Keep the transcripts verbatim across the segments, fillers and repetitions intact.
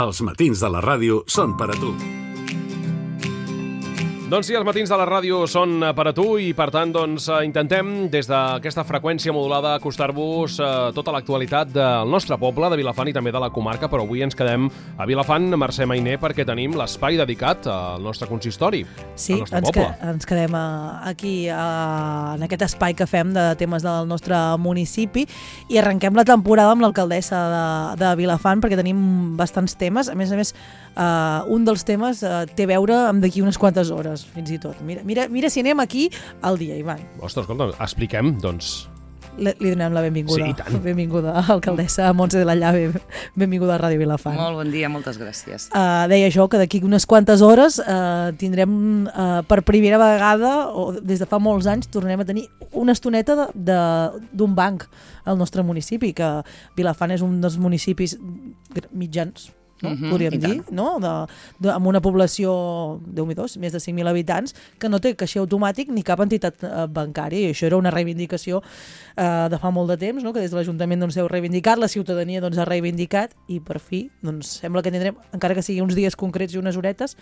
Els matins de la ràdio són per a tu. Doncs sí, els matins de la ràdio són per a tu i, per tant, doncs, intentem des d'aquesta freqüència modulada acostar-vos a tota l'actualitat del nostre poble, de Vilafant i també de la comarca, però avui ens quedem a Vilafant, Mercè Mainer, perquè tenim l'espai dedicat al nostre consistori, sí, al nostre ens poble. Sí, ens quedem aquí a, en aquest espai que fem de temes del nostre municipi i arrenquem la temporada amb l'alcaldessa de, de Vilafant perquè tenim bastants temes. A més a més, uh, un dels temes uh, té a veure amb d'aquí unes quantes hores, fins i tot. Mira, mira, mira si anem aquí al dia, Ivan. Ostres, escolta, expliquem, doncs... Li, li donem la benvinguda. Sí, i tant. Benvinguda, alcaldessa Montse de la Llave. Benvinguda a Ràdio Vilafant. Molt bon dia, moltes gràcies. Uh, deia jo que d'aquí unes quantes hores uh, tindrem uh, per primera vegada, o des de fa molts anys, tornarem a tenir una estoneta d'un banc al nostre municipi, que Vilafant és un dels municipis mitjans, no? Uh -huh, podríem dir, no? De, de, amb una població, Déu-m'hi dos, més de cinc mil habitants, que no té caixer automàtic ni cap entitat eh, bancària, i això era una reivindicació eh, de fa molt de temps, no? Que des de l'Ajuntament doncs, heu reivindicat, la ciutadania doncs, ha reivindicat, i per fi doncs, sembla que tindrem, encara que sigui uns dies concrets i unes horetes,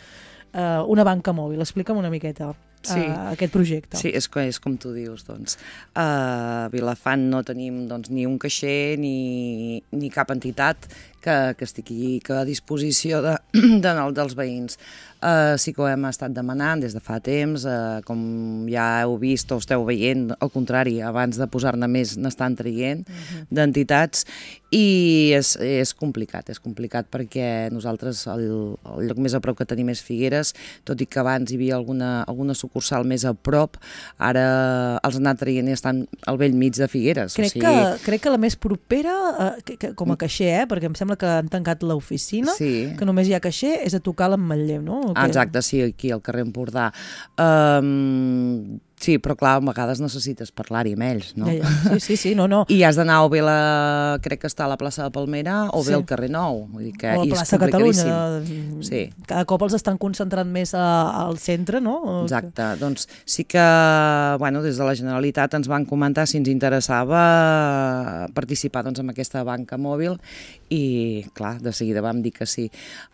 eh, una banca mòbil. Explica'm una miqueta sí. uh, aquest projecte. Sí, és, és com tu dius, doncs. A Vilafant no tenim doncs, ni un caixer ni, ni cap entitat que, que estigui a disposició de, de, dels veïns. Uh, sí que ho hem estat demanant des de fa temps, uh, com ja heu vist o esteu veient, al contrari, abans de posar-ne més n'estan traient uh-huh. d'entitats, i és, és complicat, és complicat perquè nosaltres el, el lloc més a prop que tenim és Figueres, tot i que abans hi havia alguna, alguna sucursal més a prop, ara els han anat traient i estan al vell mig de Figueres. Crec, o sigui... que, crec que la més propera, uh, que, que, com a caixer, eh, perquè em sembla que han tancat l'oficina, sí. que només hi ha caixer, és a tocar l'Ametller, no? Ah, exacte, sí, aquí al carrer Empordà. Um, sí, però clar, a vegades necessites parlar-hi amb ells, no? Ja, ja. Sí, sí, sí, no, no. I has d'anar o bé la... crec que està a la plaça de Palmera o bé sí. al carrer Nou. Vull dir que, o a la plaça de Catalunya. Sí. Cada cop els estan concentrant més a, al centre, no? Exacte. Doncs sí que, bueno, des de la Generalitat ens van comentar si ens interessava participar doncs, en aquesta banca mòbil i, clar, de seguida vam dir que sí.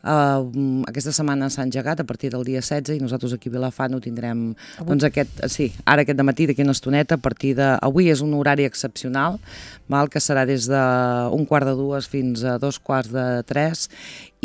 Uh, aquesta setmana s'ha engegat a partir del dia setze i nosaltres aquí a Vilafant ho tindrem, avui? Doncs aquest, sí, ara aquest dematí, d'aquí una estoneta, a parti de... Avui és un horari excepcional, val, que serà des d'un quart de dues fins a dos quarts de tres,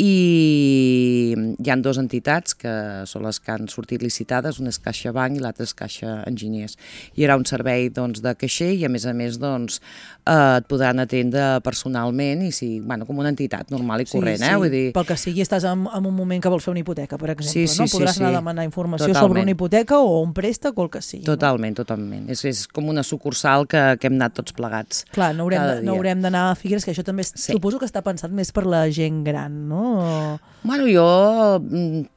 i hi han dues entitats que són les que han sortit licitades, una és CaixaBank i l'altra és Caixa Enginyers. Hi haurà un servei doncs, de caixer i a més a més doncs, eh, et podran atendre personalment i sí, bueno, com una entitat normal i corrent. Sí, sí. Eh? Vull dir... Pel que sigui estàs en, en un moment que vols fer una hipoteca, per exemple. Sí, sí, no? Podràs sí, anar sí. a demanar informació Totalment. sobre una hipoteca o un préstec o el que sigui. Totalment, no? totalment. És, és com una sucursal que, que hem anat tots plegats. Clar, no haurem, no haurem d'anar a Figueres, que això també és, sí. suposo que està pensat més per la gent gran, no? Bueno, jo...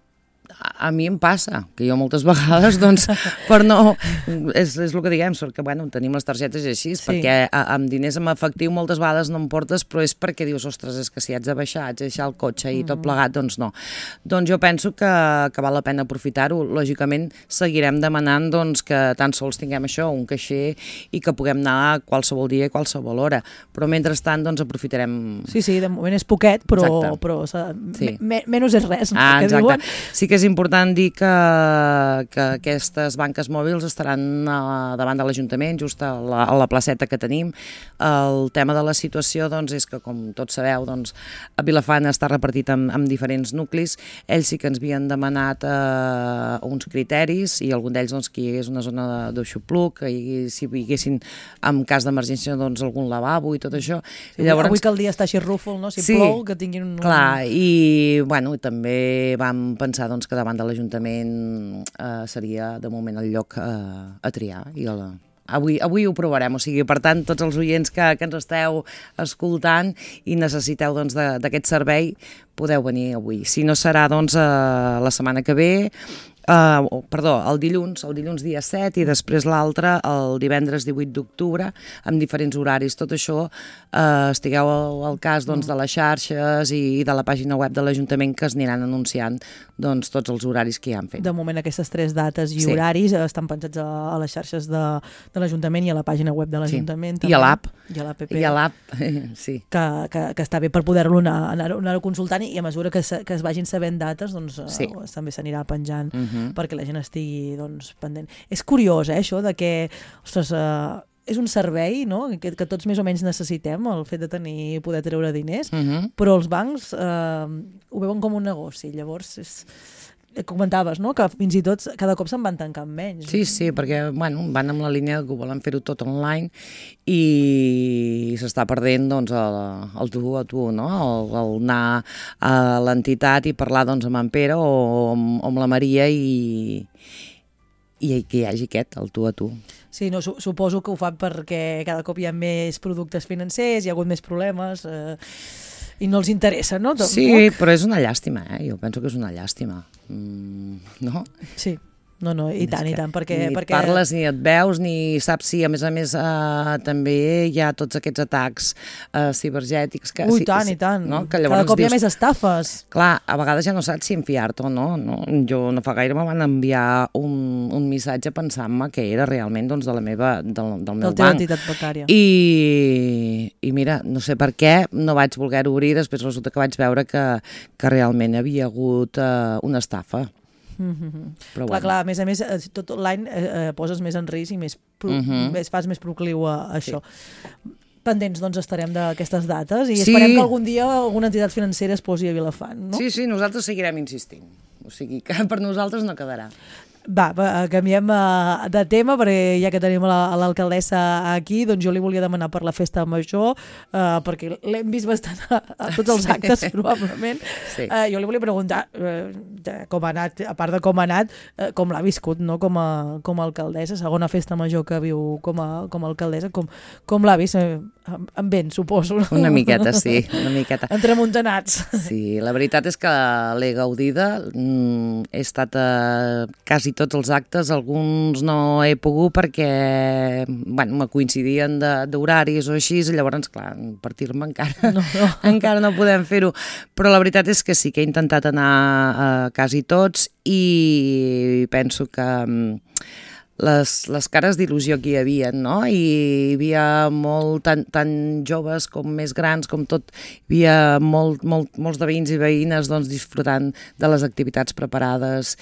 A mi em passa, que jo moltes vegades, doncs, per no... És, és el que diguem, sort que, bueno, tenim les targetes així, sí. perquè a, amb diners en efectiu moltes vegades no em portes, però és perquè dius, ostres, és que si haig de baixar, haig de deixar el cotxe i tot plegat, doncs no. Doncs jo penso que, que val la pena aprofitar-ho. Lògicament, seguirem demanant doncs, que tan sols tinguem això, un caixer, i que puguem anar qualsevol dia i qualsevol hora. Però mentrestant, doncs, aprofitarem... Sí, sí, de moment és poquet, però, però sí. me, menys és res. Ah, que exacte. diuen. Sí que és important dir que, que aquestes banques mòbils estaran a, davant de l'Ajuntament, just a la, a la placeta que tenim. El tema de la situació doncs, és que, com tots sabeu, doncs, a Vilafant està repartit en, en diferents nuclis. Ells sí que ens havien demanat eh, uns criteris i algun d'ells doncs, que hi hagués una zona d'aixopluc, que hi, si hi haguessin, en cas d'emergència, doncs, algun lavabo i tot això. Sí, I llavors, avui que el dia està així rúfol, no? Si sí, plou, que tinguin un... Clar, i bueno, també vam pensar doncs, que davant de l'Ajuntament eh, seria de moment el lloc eh, a triar i el, avui, avui ho provarem, o sigui, per tant tots els oients que, que ens esteu escoltant i necessiteu doncs, d'aquest servei podeu venir avui, si no serà doncs, eh, la setmana que ve Uh, oh, perdó, el dilluns, el dilluns dia set i després l'altre el divendres divuit d'octubre amb diferents horaris. Tot això uh, estigueu al, al cas doncs, de les xarxes i, i de la pàgina web de l'Ajuntament que es aniran anunciant doncs, tots els horaris que hi han fet. De moment aquestes tres dates i Sí. horaris estan pensats a, a les xarxes de, de l'Ajuntament i a la pàgina web de l'Ajuntament. Sí. I a l'app. I a l'app. I a l'app, sí. Que, que, que està bé per poder-lo anar, anar, anar consultant i a mesura que, se, que es vagin sabent dates doncs, Sí. uh, també s'anirà penjant Uh -huh. perquè la gent estigui doncs, pendent. És curiós, eh, això, de que, ostres, uh, és un servei, no?, que, que tots més o menys necessitem, el fet de tenir, poder treure diners, Uh -huh. però els bancs uh, ho veuen com un negoci. Llavors, és, comentaves, no?, que fins i tot cada cop se'n van tancant menys. Sí, sí, perquè bueno, van amb la línia que volen fer-ho tot online i s'està perdent doncs, el, el tu a tu, no? El, el anar a l'entitat i parlar doncs, amb en Pere o amb, amb la Maria i, i que hi hagi aquest, el tu a tu. Sí, no, su suposo que ho fan perquè cada cop hi ha més productes financers, hi ha hagut més problemes eh, i no els interessa, no? Tot, Sí, no? però és una llàstima, eh? Jo penso que és una llàstima. Mm, no? Sí, no, no, i tant, i tant, perquè... Ni et perquè... parles, ni et veus, ni saps si, a més a més, eh, també hi ha tots aquests atacs eh, cibergètics. Que, Ui, sí, tant, sí, i tant. No? Que Cada llavors cop hi ha dius, més estafes. clar, a vegades ja no saps si enfiar-te o no, no. Jo no fa gaire me van enviar un, un missatge pensant-me que era realment doncs, de la meva, del, del De meu la teva banc. entitat bancària. I, I mira, no sé per què no vaig voler obrir, després resulta que vaig veure que, que realment havia hagut eh, una estafa. Mm-hmm. Però Clar, bueno. clar, a més a més, eh, tot online eh, eh, poses més en risc i més, pro Mhm. més fas més procliu a, a això. Pendents, doncs, estarem d'aquestes dates i Sí. esperem que algun dia alguna entitat financera es posi a Vilafant, no? Sí, sí, nosaltres seguirem insistint. O sigui que per nosaltres no quedarà. Va, va, canviem uh, de tema, perquè ja que tenim l'alcaldessa aquí, doncs jo li volia demanar per la festa major, uh, perquè l'hem vist bastant a, a tots els actes, Sí. probablement. Sí. Uh, jo li volia preguntar uh, de com ha anat, a part de com ha anat, uh, com l'ha viscut, no?, com a, com a alcaldessa, segona festa major que viu com a, com a alcaldessa, com, com l'ha vist? Eh, amb, amb vent, suposo. No? Una miqueta, sí, una miqueta. Entremuntanats. Sí, la veritat és que l'he gaudida, mm, he estat a quasi tots els actes, alguns no he pogut perquè bueno, me coincidien d'horaris o així, i llavors, clar, partir-me encara No, no. encara no podem fer-ho, però la veritat és que sí que he intentat anar a quasi tots i penso que mm, les, les cares d'il·lusió que hi havia, no? I hi havia molt, tant, tant joves com més grans, com tot, hi havia molt, molt, molts de veïns i veïnes doncs, disfrutant de les activitats preparades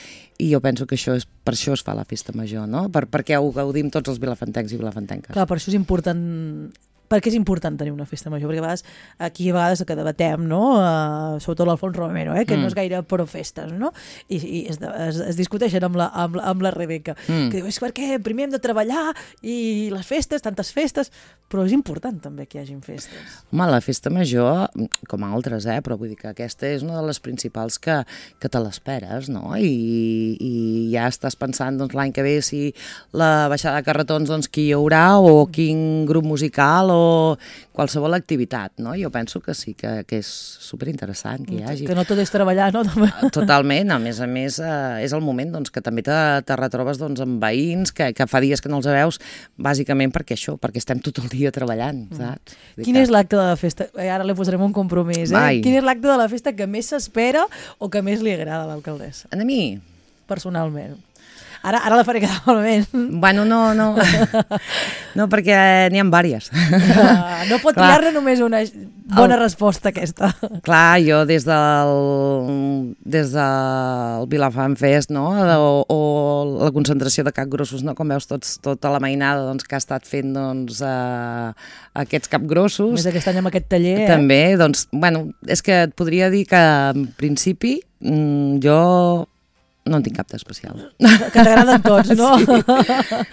i jo penso que això és, per això es fa la festa major, no? Per, perquè ho gaudim tots els vilafantencs i vilafantenques. Clar, per això és important... Per què és important tenir una festa major? Perquè a vegades, aquí a vegades que debatem, no? Uh, sobretot l'Alfons Romero, eh? que mm. no és gaire pro festes, no? I, i es, es, es discuteixen amb la, amb, la, amb la Rebeca, Mm. que diu, és perquè primer hem de treballar i les festes, tantes festes, però és important també que hi hagin festes. Home, la festa major, com altres, eh? Però vull dir que aquesta és una de les principals que, que te l'esperes, no? I, i ja estàs pensant doncs, l'any que ve si la baixada de carretons doncs, qui hi haurà o quin grup musical o qualsevol activitat, no? Jo penso que sí, que, que és superinteressant que hi hagi. Que no tot és treballar, no? Totalment, a més a més eh, és el moment doncs, que també te, te retrobes doncs, amb veïns que, que fa dies que no els veus, bàsicament perquè això, perquè estem tot el dia treballant, saps? Vull dir Quin que- és l'acte de la festa? Eh, Ara li posarem un compromís, eh? Vai. Quin és l'acte de la festa que més s'espera o que més li agrada a l'alcaldessa, A mi? personalment? Ara, ara la faré quedar malament. Bueno, no, no. No, perquè n'hi ha vàries. Uh, no pot Clar. triar-ne només una bona El- resposta, aquesta. Clar, jo des del, des del Vilafant Fest, no? O, o la concentració de capgrossos, no? Com veus tots, tota la mainada doncs, que ha estat fent doncs, uh, aquests capgrossos. Més aquest any amb aquest taller, eh? També, doncs, bueno, és que et podria dir que en principi mm, jo no en tinc cap d'especial. Que t'agraden tots, no?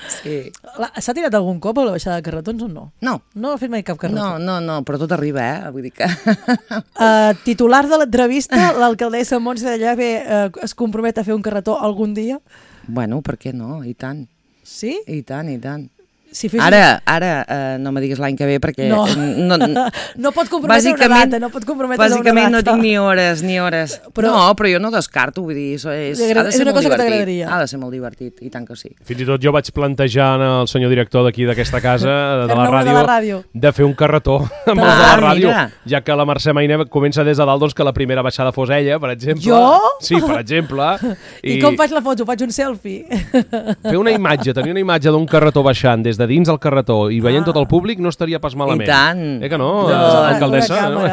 Sí. La- S'ha tirat algun cop a la baixada de carretons o no? No, No ha fet mai cap carretó? no, no, no, però tot arriba, eh? Vull dir que... Uh, titular de l'entrevista, l'alcaldessa Montse de Llave uh, es compromet a fer un carretó algun dia? Bueno, per què no? I tant, Sí? i tant, i tant. Si fes... Ara, ara uh, no me diguis l'any que ve perquè... No, no, no pot comprometre una data, no pot comprometre una data. Bàsicament no tinc ni hores, ni hores. Però... No, però jo no descarto, vull dir, és, és, ha de ser és una molt cosa que divertit. t'agradaria. Ha de ser molt divertit, i tant que sí. Fins i tot jo vaig plantejar al senyor director d'aquí d'aquesta casa, de la, ràdio, de la ràdio, de fer un carretó amb ah, els de la ràdio, mira. ja que la Mercè Maine comença des de dalt, doncs que la primera baixada fos ella, per exemple. Jo? Sí, per exemple. I, I com faig la foto? Faig un selfie? Fer una imatge, tenir una imatge d'un carretó baixant des de dins del carretó i veient ah. tot el públic no estaria pas malament. I tant. Eh que no, no. alcaldessa? No?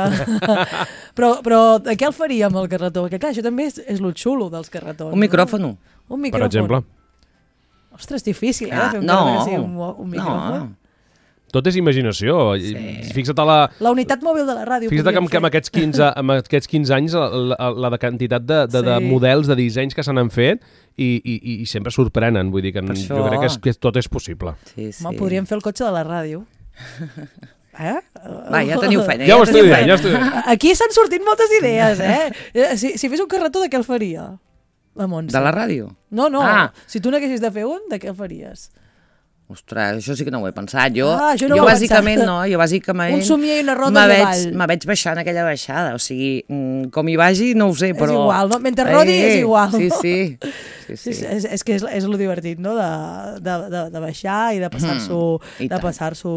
però, però de què el faríem, el carretó? Perquè clar, això també és, és lo xulo dels carretons. Un micròfon. No? Un micròfon. Per exemple. Ostres, difícil, eh? Ah, fer un, no. sí, un, un micròfon. No. Tot és imaginació. Sí. Fixa't a la... La unitat mòbil de la ràdio. Fixa't que amb, que amb, aquests quinze, amb aquests quinze anys la, la, la de quantitat de, de, sí. de models, de dissenys que se n'han fet i, i, i sempre sorprenen. Vull dir que això... jo crec que, és, que tot és possible. Sí, sí. Home, podríem fer el cotxe de la ràdio. Eh? Va, ja teniu feina. Ja, ja ho estic dient, ja estic dient. Aquí s'han sortit moltes idees, eh? Si, si fes un carretó, de què el faria? La Montse. De la ràdio? No, no. Ah. Si tu n'haguessis de fer un, de què el faries? Ostres, això sí que no ho he pensat. Jo, ah, jo, no jo ho bàsicament pensat. no, jo bàsicament... Un somier i una roda de veig, ball. Me veig baixant aquella baixada, o sigui, com hi vagi no ho sé, però... És igual, no? Mentre rodi eh, és igual. Sí, no? sí. sí, sí. sí és, és que és, és lo divertit, no? De, de, de, de baixar i de passar-s'ho mm, de passar-s'ho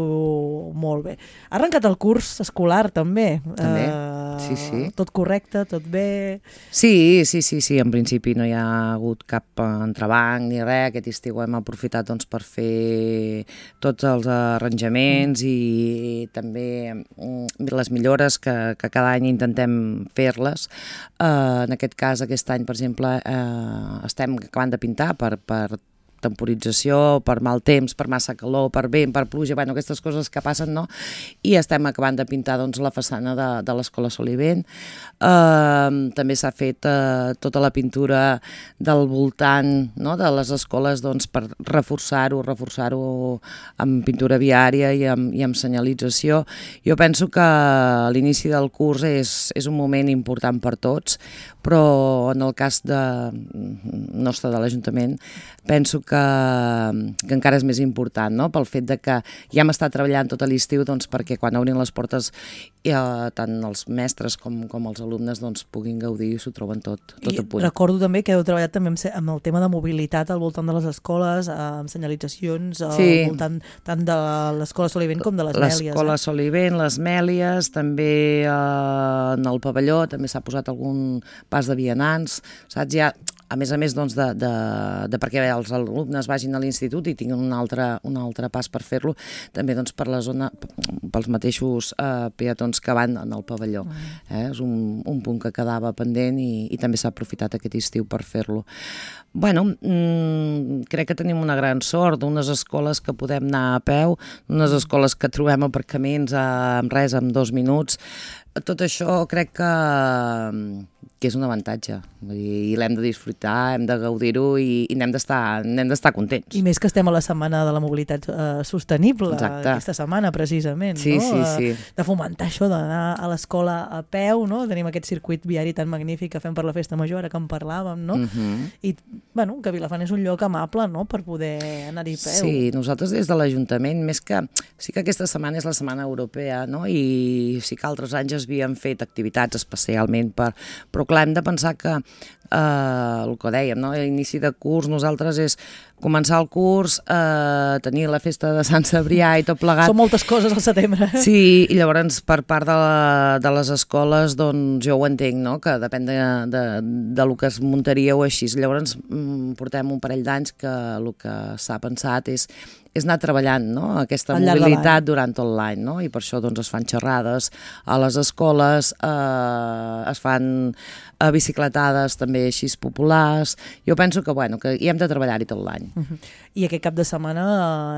molt bé. Ha arrencat el curs escolar, també. També, uh, sí, sí. Tot correcte, tot bé... Sí, sí, sí, sí, en principi no hi ha hagut cap entrebanc ni res. Aquest estiu hem aprofitat doncs, per fer tots els arranjaments mm. i també les millores que, que cada any intentem fer-les. Uh, en aquest cas, aquest any, per exemple, uh, estem acabant de pintar per, per temporització, per mal temps, per massa calor, per vent, per pluja, bueno, aquestes coses que passen, no? I estem acabant de pintar doncs, la façana de, de l'Escola Solivent. Uh, també s'ha fet uh, tota la pintura del voltant, no? De les escoles doncs, per reforçar-ho, reforçar-ho amb pintura viària i amb, i amb senyalització. Jo penso que l'inici del curs és, és un moment important per tots, però en el cas de, nostre de l'Ajuntament penso que, que encara és més important, no? Pel fet de que ja hem estat treballant tot l'estiu doncs, perquè quan obrin les portes eh, tant els mestres com, com els alumnes doncs, puguin gaudir i s'ho troben tot, tot a punt. Recordo també que heu treballat també amb, amb el tema de mobilitat al voltant de les escoles, amb senyalitzacions sí. al voltant tant de l'Escola Solivent com de les Mèlies. L'Escola eh? Solivent, les Mèlies, també eh, en el pavelló també s'ha posat algun pas de vianants, saps? Ja, a més a més doncs, de, de, de perquè els alumnes vagin a l'institut i tinguin un altre, un altre pas per fer-lo, també doncs, per la zona, pels mateixos eh, peatons que van en el pavelló. Eh? És un, un punt que quedava pendent i, i també s'ha aprofitat aquest estiu per fer-lo. Bueno, mmm, crec que tenim una gran sort, unes escoles que podem anar a peu, unes escoles que trobem aparcaments amb res, en dos minuts. Tot això crec que, que és un avantatge. Vull dir, i l'hem de disfrutar, hem de gaudir-ho i, i n'hem d'estar n'hem d'estar contents. I més que estem a la setmana de la mobilitat eh, sostenible, exacte. Aquesta setmana precisament, sí, no? Sí, sí. De fomentar això, d'anar a l'escola a peu, no? Tenim aquest circuit viari tan magnífic que fem per la Festa Major, ara que en parlàvem, no? Uh-huh. I, bueno, que Vilafant és un lloc amable, no?, per poder anar-hi a peu. Sí, nosaltres des de l'Ajuntament, més que... Sí que aquesta setmana és la Setmana Europea, no?, i sí que altres anys havien fet activitats especialment per... Però clar, hem de pensar que eh, el que dèiem, no? L'inici de curs, nosaltres és començar el curs, eh, tenir la festa de Sant Cebrià i tot plegat. Són moltes coses al setembre. Sí, i llavors per part de, la, de les escoles, doncs jo ho entenc, no?, que depèn de, de, de lo que es muntaria o així. Llavors mm, portem un parell d'anys que el que s'ha pensat és és anar treballant, no?, aquesta mobilitat durant tot l'any, no?, i per això doncs, es fan xerrades a les escoles, eh, es fan eh, bicicletades també així populars. Jo penso que, bueno, que hi hem de treballar-hi tot l'any. Uh-huh. I aquest cap de setmana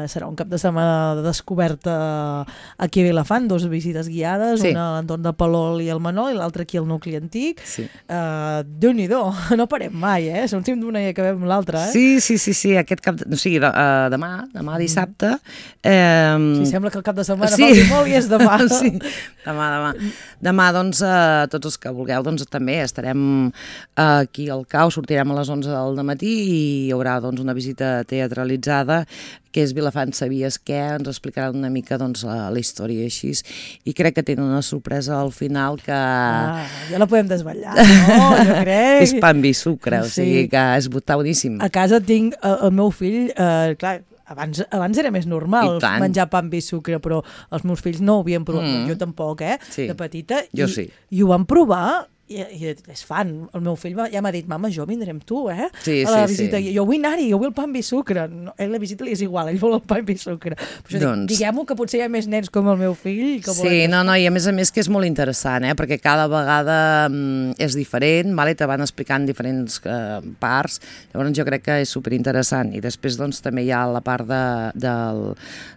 eh, serà un cap de setmana de descoberta aquí a Vilafant, dos visites guiades, sí. Una a l'entorn de Palol i el Manol i l'altra aquí al nucli antic. Sí. Uh, Déu-n'hi-do, no parem mai, eh? Sortim d'una i acabem l'altra, eh? Sí, sí, sí, sí, aquest cap de... O sigui, de, uh, demà, demà dissabte... Eh, sí, sembla que el cap de setmana sí. falti molt i és demà. Sí, demà, demà. Demà, doncs, eh, tots els que vulgueu, doncs també estarem eh, aquí al Cau, sortirem a les onze del matí i hi haurà doncs, una visita teatralitzada que és Vilafant Sabies Què, ens explicaran una mica doncs, la, la història així, i crec que tenen una sorpresa al final que... Ah, ja la podem desvetllar, no? Jo crec... és pa amb vi sucre, o sigui que és està boníssim. A casa tinc el, el meu fill, eh, clar, Abans, abans era més normal menjar pa amb vi i sucre, però els meus fills no ho havien provat, mm. jo tampoc, eh, sí. de petita, jo i, sí. i ho van provar, i, i és fan. El meu fill va, ja m'ha dit, mama, jo vindré amb tu, eh, sí, a la sí, visita. sí. Jo vull anar-hi, jo vull el pa amb vi i sucre. No, a la visita li és igual, ell vol el pa amb vi i sucre. Però doncs... diguem-ho que potser hi ha més nens com el meu fill. Que sí, no, no, i a més a més que és molt interessant, eh, perquè cada vegada mm, és diferent, vale? Te van explicant diferents eh, parts, llavors jo crec que és superinteressant. I després doncs també hi ha la part de, del,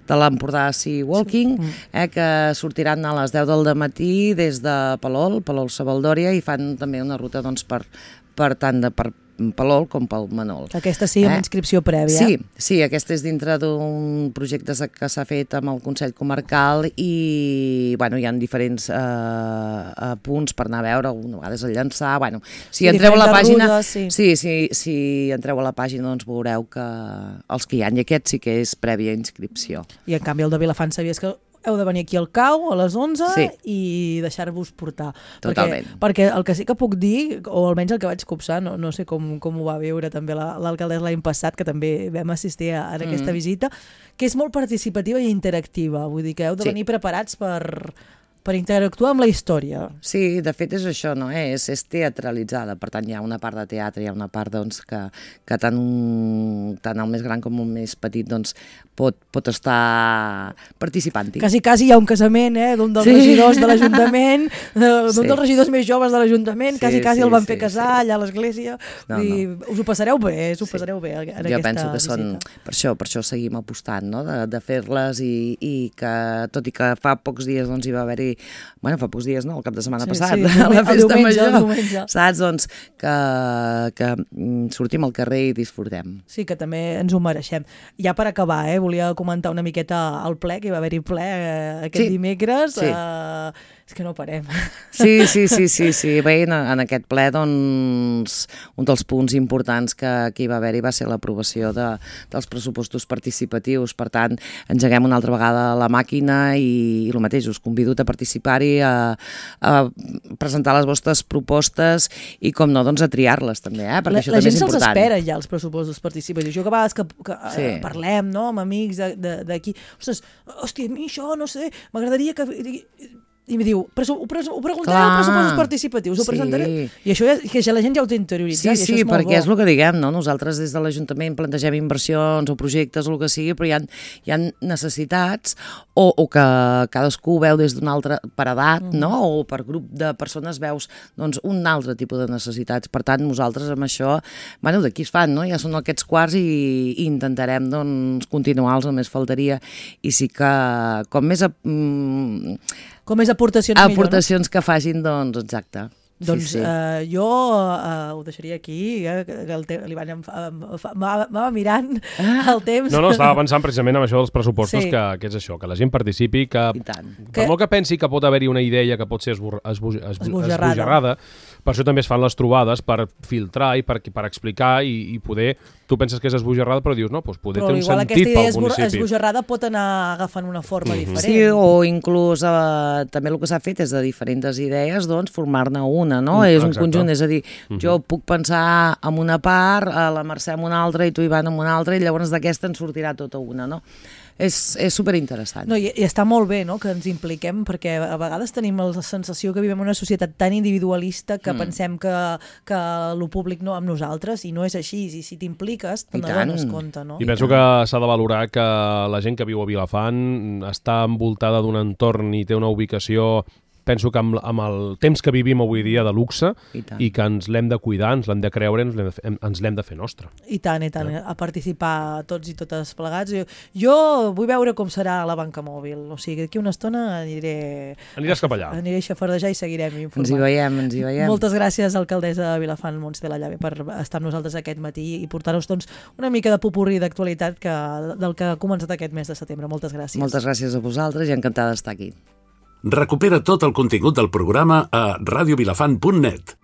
de l'Empordà Sea Walking, sí. eh, que sortiran a les deu del matí des de Palol, Palol Savaldòria, i fan també una ruta doncs, per, per tant de per Palol com pel Manol. Aquesta sí, amb eh? inscripció prèvia. Sí, sí, aquesta és dintre d'un projecte que s'ha fet amb el Consell Comarcal i bueno, hi ha diferents eh, punts per anar a veure, una vegada és el Llançà, bueno, si entreu a la pàgina, rudes, sí. Sí, sí, si entreu a la pàgina doncs veureu que els que hi ha, i aquest sí que és prèvia inscripció. I en canvi el de Vilafant sabies que heu de venir aquí al Cau a les onze sí. i deixar-vos portar. Totalment. Perquè, perquè el que sí que puc dir, o almenys el que vaig copsar, no, no sé com, com ho va viure també l'alcaldessa l'any passat, que també vam assistir a, a aquesta mm. visita, que és molt participativa i interactiva. Vull dir que heu de venir sí. preparats per... per interactuar amb la història. Sí, de fet és això, no? És, és teatralitzada, per tant hi ha una part de teatre, hi ha una part doncs, que, que tant, un, tant el més gran com el més petit doncs, pot, pot estar participant-hi. Quasi, quasi hi ha un casament eh, d'un dels sí. regidors de l'Ajuntament, d'un sí. dels regidors més joves de l'Ajuntament, quasi, sí, quasi sí, el van fer sí, casar sí. allà a l'església. No, I no. Us ho passareu bé, us ho passareu sí. bé en jo aquesta penso que visita. Són, per això, per això seguim apostant, no? de, de fer-les i, i que, tot i que fa pocs dies doncs, hi va haver-hi bueno, fa pocs dies, no? El cap de setmana sí, passat, sí, a la festa diumenge, major, saps? Doncs que, que sortim al carrer i disfrutem. Sí, que també ens ho mereixem. Ja per acabar, eh, volia comentar una miqueta el ple, que hi va haver-hi ple eh, aquest sí. dimecres. Sí. Eh, és que no parem. Sí, sí, sí, sí, sí. Bé, en, en aquest ple, doncs, un dels punts importants que, que hi va haver-hi va ser l'aprovació de, dels pressupostos participatius. Per tant, engeguem una altra vegada la màquina i, i el mateix, us convido a participar-hi, a, a presentar les vostres propostes i, com no, doncs a triar-les també, eh? Perquè la, això també és important. La gent se'ls espera ja, els pressupostos participatius. Jo que a vegades que, que sí. eh, parlem, no?, amb amics d'aquí, ostres, hòstia, a mi això, no sé, m'agradaria que... I em diu, ho preguntareu pressupostos participatius, ho sí. presentaré? I això ja, que ja la gent ja ho té interioritzat. Sí, sí, és perquè bo. És el que diguem, no? Nosaltres des de l'Ajuntament plantegem inversions o projectes o el que sigui, però hi ha, hi ha necessitats o, o que cadascú veu des d'un altre, per edat, mm. no? O per grup de persones veus doncs, un altre tipus de necessitats. Per tant, nosaltres amb això, bueno, d'aquí es fan, no? Ja són aquests quarts i, i intentarem doncs, continuar-los, només faltaria. I sí que, com més... A, mm, com més aportacions, aportacions millor, no? que facin, doncs, exacte. Doncs sí, sí. Uh, jo uh, ho deixaria aquí, eh, que el te- li van m'ava mirant ah. el temps. No, no, estava pensant precisament en això dels pressupostos, sí. que, que és això, que la gent participi, que per que... molt que pensi que pot haver-hi una idea que pot ser esbor... esbo... esbo... esbojarrada. esbojarrada, per això també es fan les trobades per filtrar i per, per explicar i, i poder... Tu penses que és esbojarrada, però dius, no, doncs poder però té un sentit pel municipi. Però igual esbojarrada pot anar agafant una forma mm-hmm. diferent. Sí, o inclús eh, també el que s'ha fet és de diferents idees, doncs, formar-ne una, no? Mm, és un exacte. Conjunt, és a dir, mm-hmm. jo puc pensar en una part, a la Mercè en una altra i tu, Ivan, en una altra, i llavors d'aquesta en sortirà tota una, no? És, és superinteressant. No, i, i està molt bé, no?, que ens impliquem, perquè a vegades tenim la sensació que vivim en una societat tan individualista que mm. pensem que, que el públic no amb nosaltres, i no és així, i si t'impliques te n'adones compte, no? I, I penso tant. que s'ha de valorar que la gent que viu a Vilafant està envoltada d'un entorn i té una ubicació, penso que amb, amb el temps que vivim avui dia de luxe i, i que ens l'hem de cuidar, ens l'hem de creure, ens l'hem de, fer, ens l'hem de fer nostre. I tant, i tant, ja. a participar tots i totes plegats. Jo, jo vull veure com serà la banca mòbil, o sigui, d'aquí una estona aniré... Aniràs cap allà. Aniré a xafardejar i seguirem informant. Ens hi veiem, ens hi veiem. Moltes gràcies, alcaldessa de Vilafant, Montse de la Llave, per estar amb nosaltres aquest matí i portar-nos doncs, una mica de popurrí d'actualitat que, del que ha començat aquest mes de setembre. Moltes gràcies. Moltes gràcies a vosaltres i encantada d'estar aquí. Recupera tot el contingut del programa a radiovilafant punt net.